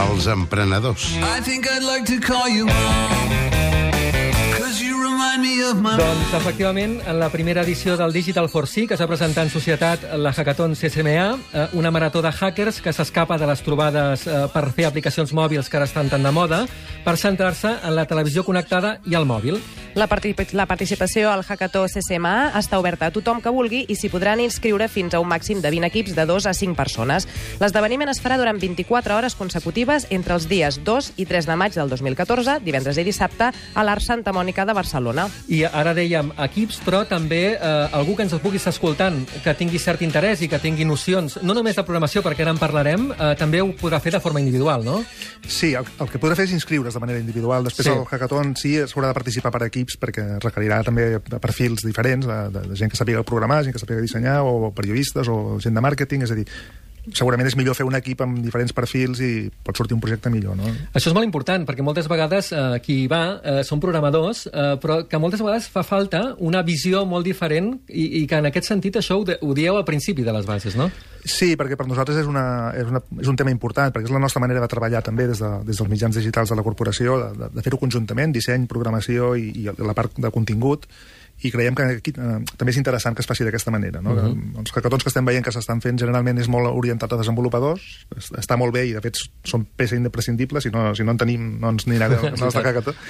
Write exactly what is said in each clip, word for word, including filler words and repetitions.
Els emprenedors. I think I'd like to call you mom. Doncs, efectivament, en la primera edició del Digital for C, que s'ha presentat en societat la Hackathon C S M A, una marató de hackers que s'escapa de les trobades per fer aplicacions mòbils que ara estan tan de moda, per centrar-se en la televisió connectada i el mòbil. La, particip la participació al Hackathon C S M A està oberta a tothom que vulgui i s'hi podran inscriure fins a un màxim de vint equips de dos a cinc persones. L'esdeveniment es farà durant vint-i-quatre hores consecutives entre els dies dos i tres de maig del dos mil catorze, divendres i dissabte, a l'Art Santa Mònica de Barcelona. I ara dèiem equips, però també eh, algú que ens pugui estar escoltant, que tingui cert interès i que tingui nocions, no només de programació, perquè ara en parlarem, eh, també ho podrà fer de forma individual, no? Sí, el, el que podrà fer és inscriure's de manera individual. Després sí. El Hackathon sí s'haurà de participar per equips, perquè requerirà també perfils diferents, de, de, de gent que sàpiga programar, gent que sàpiga dissenyar, o periodistes, o gent de màrqueting, és a dir, segurament és millor fer un equip amb diferents perfils i pot sortir un projecte millor, no? Això és molt important, perquè moltes vegades eh, qui hi va eh, són programadors, eh, però que moltes vegades fa falta una visió molt diferent i, i que en aquest sentit això ho, de, ho dieu al principi de les bases, no? Sí, perquè per nosaltres és, una, és, una, és un tema important, perquè és la nostra manera de treballar també des, de, des dels mitjans digitals de la corporació, de, de fer-ho conjuntament, disseny, programació i, i la part de contingut, i creiem que aquí eh, també és interessant que es faci d'aquesta manera, no? Uh-huh. que, els hackathons que estem veient que s'estan fent generalment és molt orientat a desenvolupadors, està molt bé i de fet són peça imprescindible, si no, si no en tenim no ens anirà bé el nostre hackathon,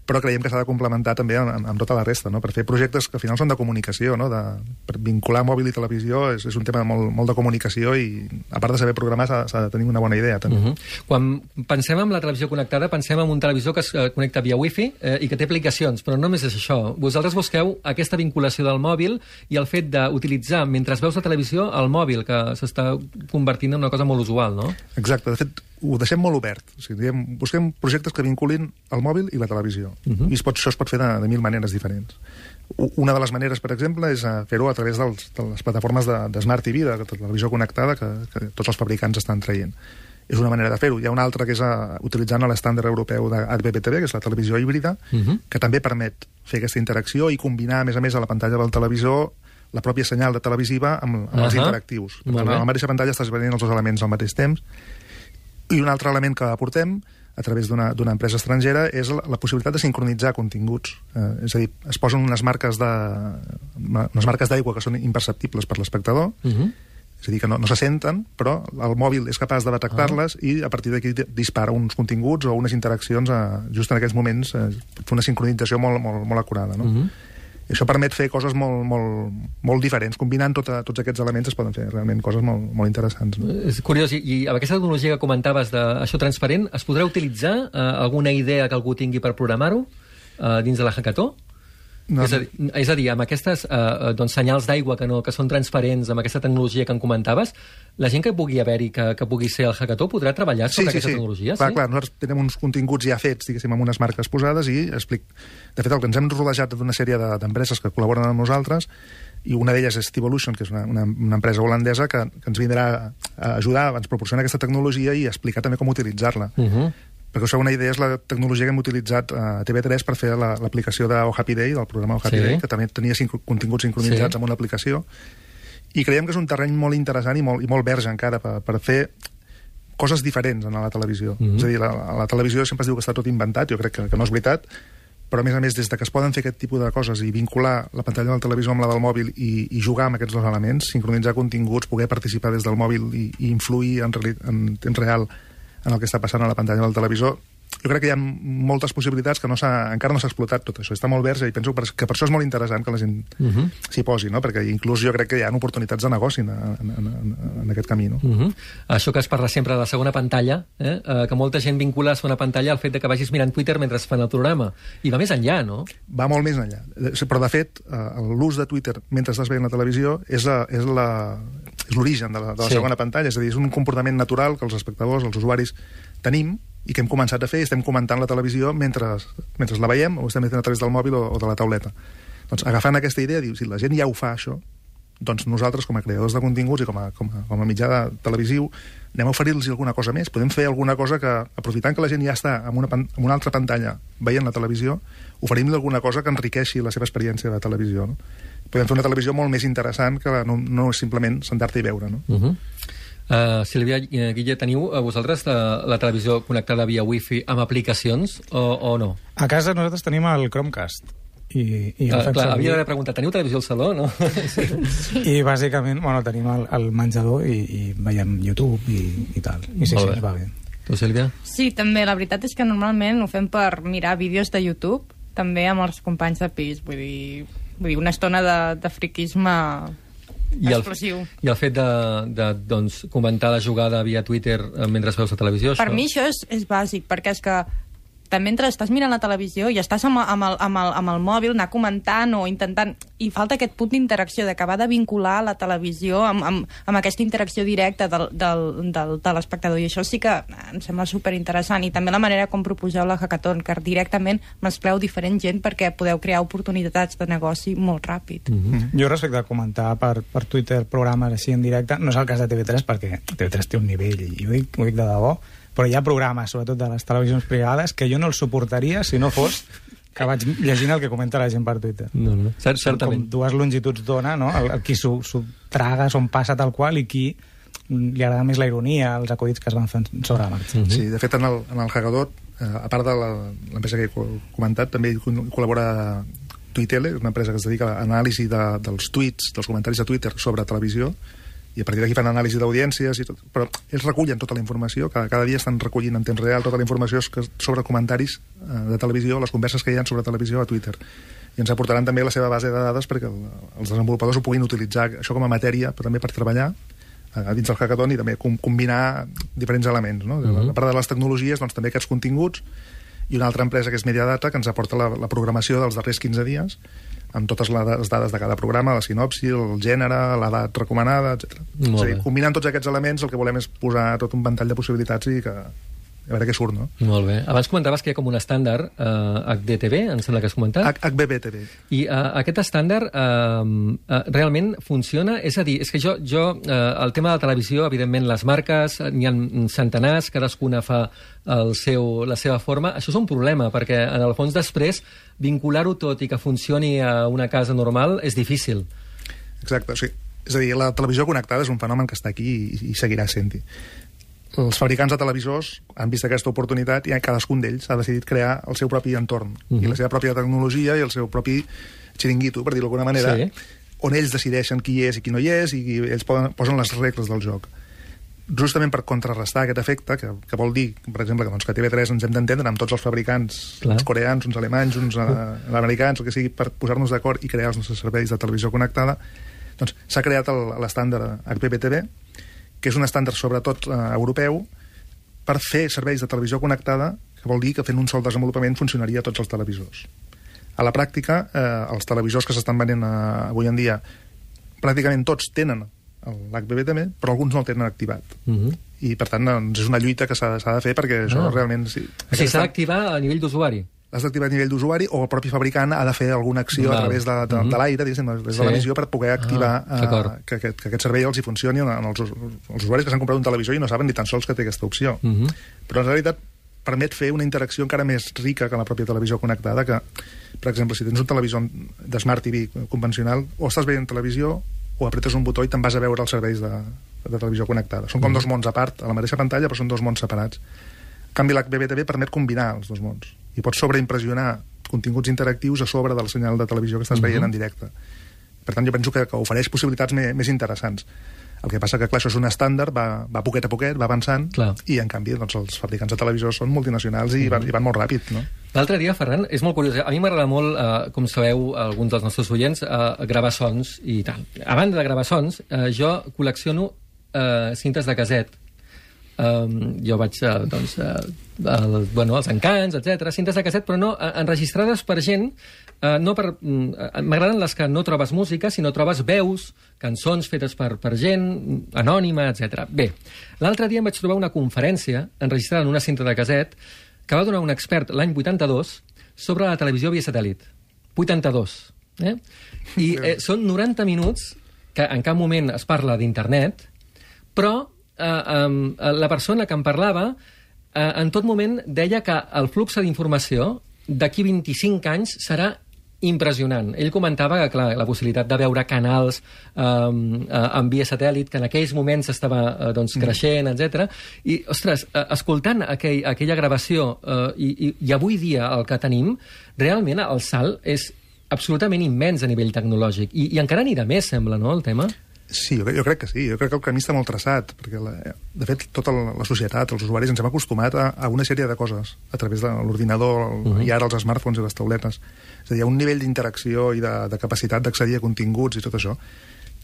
però creiem que s'ha de complementar també amb, amb tota la resta, no? Per fer projectes que al final són de comunicació, no? De, per vincular mòbil i televisió és, és un tema molt, molt de comunicació i a part de saber programar s'ha de tenir una bona idea també. Uh-huh. Quan pensem en la televisió connectada pensem en un televisor que es connecta via wifi eh, i que té aplicacions, però no només és això. Vosaltres busqueu aquesta vinculació del mòbil i el fet d'utilitzar, mentre veus la televisió, el mòbil, que s'està convertint en una cosa molt usual, no? Exacte. De fet, ho deixem molt obert. O sigui, diem, busquem projectes que vinculin el mòbil i la televisió. Uh-huh. I es pot, això es pot fer de, de mil maneres diferents. Una de les maneres, per exemple, és fer-ho a través dels, de les plataformes de, de Smart T V, de, de televisió connectada, que, que tots els fabricants estan traient. És una manera de fer-ho. Hi ha una altra que és a, utilitzant l'estàndard europeu de H B B T V, que és la televisió híbrida, uh-huh. que també permet fer aquesta interacció i combinar, a més a més, a la pantalla del televisor la pròpia senyal de televisiva amb, amb uh-huh. els interactius. Per tant, a la mateixa pantalla estàs venint els dos elements al mateix temps. I un altre element que aportem a través d'una empresa estrangera és la, la possibilitat de sincronitzar continguts. Eh, és a dir, es posen unes marques de, unes marques d'aigua que són imperceptibles per l'espectador, uh-huh. és a dir, que no, no se senten, però el mòbil és capaç de detectar-les uh-huh. i a partir d'aquí dispara uns continguts o unes interaccions a, just en aquells moments, eh, fer una sincronització molt, molt, molt acurada, no? Uh-huh. I això permet fer coses molt, molt, molt diferents. Combinant tota, tots aquests elements es poden fer realment coses molt, molt interessants. No? És curiós, i, i amb aquesta tecnologia que comentaves d'això transparent, es podrà utilitzar eh, alguna idea que algú tingui per programar-ho eh, dins de la Hackathon? No. És, a dir, és a dir, amb aquestes eh, doncs, senyals d'aigua que, no, que són transparents, amb aquesta tecnologia que en comentaves, la gent que pugui haver-hi, que, que pugui ser el Hackathon, podrà treballar sobre sí, aquesta sí, tecnologia? Clar, sí, clar, nosaltres tenim uns continguts ja fets, diguéssim, amb unes marques posades i explic... De fet, el que ens hem rodejat d'una sèrie d'empreses que col·laboren amb nosaltres, i una d'elles és Stevolution, que és una, una, una empresa holandesa que, que ens vindrà a ajudar, ens proporciona aquesta tecnologia i explicar també com utilitzar-la. Uh-huh. Perquè us feu una idea, és la tecnologia que hem utilitzat a T V tres per fer l'aplicació la, de Oh Happy Day, del programa Oh Happy sí. Day, que també tenia cinc continguts sincronitzats sí. amb una aplicació. I creiem que és un terreny molt interessant i molt, i molt verge encara per, per fer coses diferents en la televisió. Mm-hmm. És a dir, la, la televisió sempre es diu que està tot inventat, jo crec que, que no és veritat, però a més a més, des de que es poden fer aquest tipus de coses i vincular la pantalla del televisor amb la del mòbil i, i jugar amb aquests dos elements, sincronitzar continguts, poder participar des del mòbil i, i influir en, en temps real en el que està passant a la pantalla del televisor, jo crec que hi ha moltes possibilitats que no encara no s'ha explotat tot això. Està molt verge i penso que per això és molt interessant que la gent uh-huh. s'hi posi, no? Perquè inclús jo crec que hi ha oportunitats de negoci en, en, en, en aquest camí. No? Uh-huh. Això que es parla sempre de la segona pantalla, eh? Uh, que molta gent vincula la segona pantalla al fet de que vagis mirant Twitter mentre fan el programa. I va més enllà, no? Va molt més enllà. Però, de fet, l'ús de Twitter mentre estàs veient la televisió és l'origen de la, de la sí. segona pantalla. És a dir, és un comportament natural que els espectadors, els usuaris, tenim i que hem començat a fer i estem comentant la televisió mentre, mentre la veiem o estem fent a través del mòbil o, o de la tauleta. Doncs agafant aquesta idea, diu, si la gent ja ho fa, això, doncs nosaltres, com a creadors de continguts i com a, com a, com a mitjà de televisiu, anem a oferir-los alguna cosa més. Podem fer alguna cosa que, aprofitant que la gent ja està en una, en una altra pantalla veient la televisió, oferim-li alguna cosa que enriqueixi la seva experiència de televisió. No? Podem fer una televisió molt més interessant que no, no és simplement sentar-te i veure. No? Uh-huh. Uh, Sílvia, Guille, teniu a vosaltres la, la televisió connectada via wifi amb aplicacions o, o no? A casa nosaltres tenim el Chromecast. I, i uh, clar, servir... havia d'haver preguntat, teniu televisió al saló, no? Sí. I bàsicament, bueno, tenim el, el menjador i, i veiem YouTube i, i tal. I sí, sí, ens va bé. Tu, Sílvia? Sí, també, la veritat és que normalment ho fem per mirar vídeos de YouTube, també amb els companys de pis, vull dir, vull dir una estona de, de friquisme I el, explosiu. I el fet de, de doncs, comentar la jugada via Twitter mentre veus la televisió... Per això... mi això és, és bàsic, perquè és que també mentre estàs mirant la televisió i estàs amb, amb, el, amb, el, amb el mòbil, anar comentant o intentant... I falta aquest punt d'interacció, d'acabar de vincular la televisió amb, amb, amb aquesta interacció directa del, del, del, de l'espectador. I això sí que em sembla superinteressant. I també la manera com proposeu la Hackathon, que directament mescleu diferent gent perquè podeu crear oportunitats de negoci molt ràpid. Mm-hmm. Jo respecte a comentar per, per Twitter programes així en directe, no és el cas de T V tres, perquè T V tres té un nivell, i ho dic, ho dic de debò, però hi ha programes, sobretot de les televisions privades, que jo no els suportaria si no fos que vaig llegint el que comenta la gent per Twitter. No, no. Cert, certament. Com dues longituds d'ona, no? El, el qui s'ho traga, s'ho passa tal qual, i qui li agrada més la ironia, els acudits que es van fent sobre la marxa. Mm-hmm. Sí, de fet, en el, en el Hackathon, eh, a part de l'empresa que he comentat, també hi col·labora Tuitele, una empresa que es dedica a l'anàlisi de, dels tuits, dels comentaris de Twitter sobre televisió, i a partir d'aquí fan anàlisi d'audiències i tot, però ells recullen tota la informació, cada, cada dia estan recollint en temps real tota la informació sobre comentaris eh, de televisió, les converses que hi ha sobre televisió a Twitter, i ens aportaran també la seva base de dades perquè el, els desenvolupadors ho puguin utilitzar, això com a matèria, però també per treballar eh, dins del Hackathon i també com, combinar diferents elements, no? Uh-huh. A part de les tecnologies, doncs també aquests continguts, i una altra empresa que és Mediadata, que ens aporta la, la programació dels darrers quinze dies, amb totes les dades de cada programa, la sinopsi, el gènere, l'edat recomanada, etcètera. És a dir, combinant tots aquests elements, el que volem és posar tot un ventall de possibilitats i que a veure què surt, no? Molt bé. Abans comentaves que hi ha com un estàndard eh, H D T V, em sembla que has comentat. H B B T V. I eh, aquest estàndard eh, eh, realment funciona? És a dir, és que jo, jo eh, el tema de la televisió, evidentment, les marques, n'hi ha centenars, cadascuna fa el seu, la seva forma. Això és un problema, perquè en el fons després vincular-ho tot i que funcioni a una casa normal és difícil. Exacte, sí. És a dir, la televisió connectada és un fenomen que està aquí i, i seguirà sent-hi. Els fabricants de televisors han vist aquesta oportunitat i cadascun d'ells ha decidit crear el seu propi entorn, uh-huh. i la seva pròpia tecnologia i el seu propi xiringuito, per dir-ho d'alguna manera, sí. on ells decideixen qui hi és i qui no hi és, i ells poden, posen les regles del joc. Justament per contrarrestar aquest efecte, que, que vol dir, per exemple, que, doncs, que a T V tres ens hem d'entendre amb tots els fabricants, Clar. uns coreans, uns alemanys, uns uh, americans, el que sigui, per posar-nos d'acord i crear els nostres serveis de televisió connectada, doncs s'ha creat l'estàndard H B B T V, que és un estàndard sobretot eh, europeu, per fer serveis de televisió connectada, que vol dir que fent un sol desenvolupament funcionaria a tots els televisors. A la pràctica, eh, els televisors que s'estan venent eh, avui en dia, pràcticament tots tenen l'H B B T V, però alguns no el tenen activat. Uh-huh. I, per tant, doncs, és una lluita que s'ha de fer perquè ah. això realment... Sí, o sigui, s'ha d'activar a nivell d'usuari? L'has d'activar a nivell d'usuari, o el propi fabricant ha de fer alguna acció Val. a través de, de, uh-huh. de l'aire, diguéssim, des de sí. l'emissió, per poder activar ah, uh, que, que, que aquest servei els hi funcioni en els, els usuaris que s'han comprat un televisor i no saben ni tan sols que té aquesta opció. Uh-huh. Però en realitat permet fer una interacció encara més rica que la pròpia televisió connectada, que, per exemple, si tens un televisor de Smart T V convencional, o estàs veient televisió o apretes un botó i te'n vas a veure els serveis de, de televisió connectada. Són com uh-huh. dos mons a part, a la mateixa pantalla, però són dos mons separats. En canvi, l'H B B T V permet combinar els dos mons i pots sobreimpressionar continguts interactius a sobre del senyal de televisió que estàs uh-huh. veient en directe. Per tant, jo penso que, que ofereix possibilitats més, més interessants. El que passa que, clar, això és un estàndard, va, va poquet a poquet, va avançant, clar. i, en canvi, doncs, els fabricants de televisors són multinacionals i, uh-huh. van, i van molt ràpid, no? L'altre dia, Ferran, és molt curiós. A mi m'agrada molt, eh, com sabeu, alguns dels nostres oients, eh, gravar sons i tal. A banda de gravar sons, eh, jo col·lecciono eh, cintes de casset. Um, jo vaig, uh, doncs, uh, el, bueno, els encants, etcètera, cintes de casset, però no, uh, enregistrades per gent, uh, no per... Uh, m'agraden les que no trobes música, sinó trobes veus, cançons fetes per, per gent, anònima, etcètera. Bé, l'altre dia em vaig trobar una conferència enregistrada en una cinta de casset que va donar un expert l'any vuitanta-dos sobre la televisió via satèl·lit. vuitanta-dos. Eh? I eh, són noranta minuts que en cap moment es parla d'internet, però Uh, um, la persona que em parlava uh, en tot moment deia que el flux d'informació d'aquí vint-i-cinc anys serà impressionant. Ell comentava que, clar, la possibilitat de veure canals eh, en via satèl·lit, que en aquells moments estava eh, doncs, creixent, etcètera. I, ostres, eh, escoltant aquell, aquella gravació eh, i, i, i avui dia el que tenim, realment el salt és absolutament immens a nivell tecnològic. I, i encara n'hi de més, sembla, no, el tema? Sí, jo, jo crec que sí. Jo crec que el camí està molt traçat, perquè, la, de fet, tota la, la societat, els usuaris, ens hem acostumat a, a una sèrie de coses a través de l'ordinador, uh-huh. i ara els smartphones i les tauletes. És a dir, hi ha un nivell d'interacció i de, de capacitat d'accedir a continguts i tot això,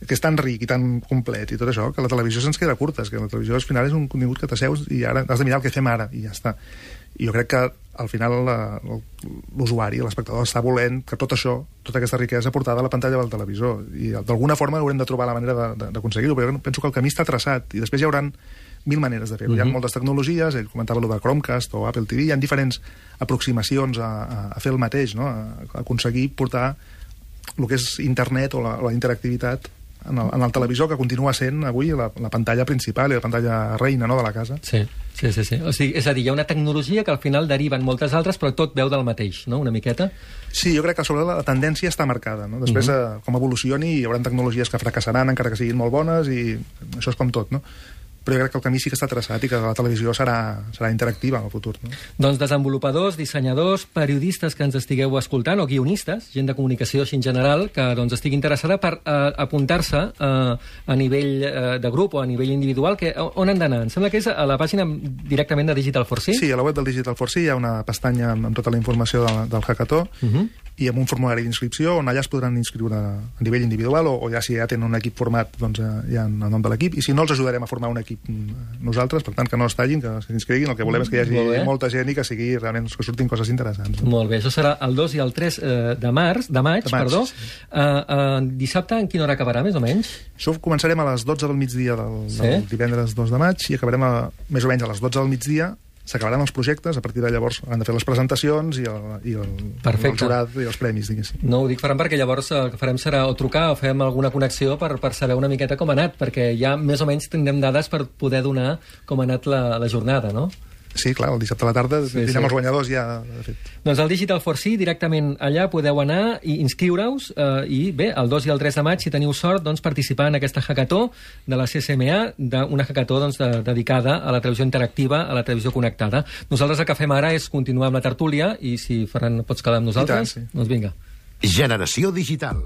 que és tan ric i tan complet i tot això, que la televisió se'ns queda curta, és que la televisió al final és un contingut que t'asseus i ara has de mirar el que fem ara, i ja està. I jo crec que al final l'usuari, l'espectador, està volent que tot això, tota aquesta riquesa portada a la pantalla del televisor, i d'alguna forma haurem de trobar la manera d'aconseguir-ho, però jo penso que el camí està traçat, i després hi haurà mil maneres de fer-ho. Uh-huh. Hi ha moltes tecnologies, ell comentava allò de Chromecast o Apple T V, hi ha diferents aproximacions a, a, a fer el mateix, no? a, a aconseguir portar el que és internet o la, la interactivitat en el, en el televisor, que continua sent avui la, la pantalla principal i la pantalla reina, no?, de la casa. Sí, sí, sí, sí. O sigui, és a dir, hi ha una tecnologia que al final deriva en moltes altres, però tot veu del mateix, no?, una miqueta. Sí, jo crec que sobre la tendència està marcada, no? Després, uh-huh. eh, com evolucioni, hi haurà tecnologies que fracassaran, encara que siguin molt bones, i això és com tot, no? Però jo crec que el camí sí que està traçat i que la televisió serà, serà interactiva en el futur. No? Doncs desenvolupadors, dissenyadors, periodistes que ens estigueu escoltant, o guionistes, gent de comunicació així en general, que doncs, estigui interessada per eh, apuntar-se eh, a nivell eh, de grup o a nivell individual, que, on han d'anar? Em sembla que és a la pàgina directament de Digital for C? Sí, a la web del Digital for C hi ha una pestanya amb, amb tota la informació del, del hackathon, uh-huh. i amb un formulari d'inscripció on allà es podran inscriure a nivell individual, o, o ja si ja tenen un equip format, doncs eh, hi ha el nom de l'equip, i si no els ajudarem a formar un equip nosaltres, per tant que no es tallin, que s'inscriguin, el que volem és que hi hagi molta gent i que sigui realment que surtin coses interessants. Molt bé, això serà el dos i el tres eh, de març, de maig, de maig perdó. Sí. Uh, uh, dissabte en quina hora acabarà, més o menys? Això començarem a les dotze del migdia del, sí? del divendres dos de maig i acabarem a, més o menys a les dotze del migdia. S'acabaran els projectes, a partir de llavors han de fer les presentacions i el, i el, el jurat i els premis, diguéssim. No ho dic, Ferran, perquè llavors el que farem serà o trucar o fem alguna connexió per, per saber una miqueta com ha anat, perquè ja més o menys tindrem dades per poder donar com ha anat la, la jornada, no? Sí, clar, el dissabte a la tarda sí, tindrem sí. els guanyadors ja, de fet. Doncs al Digital for C, directament allà podeu anar i inscriure-us, eh, i bé, el dos i el tres de maig, si teniu sort, doncs participar en aquesta hackathon de la C S M A, d'una hackathon doncs, de, dedicada a la televisió interactiva, a la televisió connectada. Nosaltres el que fem ara és continuar amb la tertúlia, i si Ferran pots quedar amb nosaltres, tant, sí. doncs vinga. Generació Digital.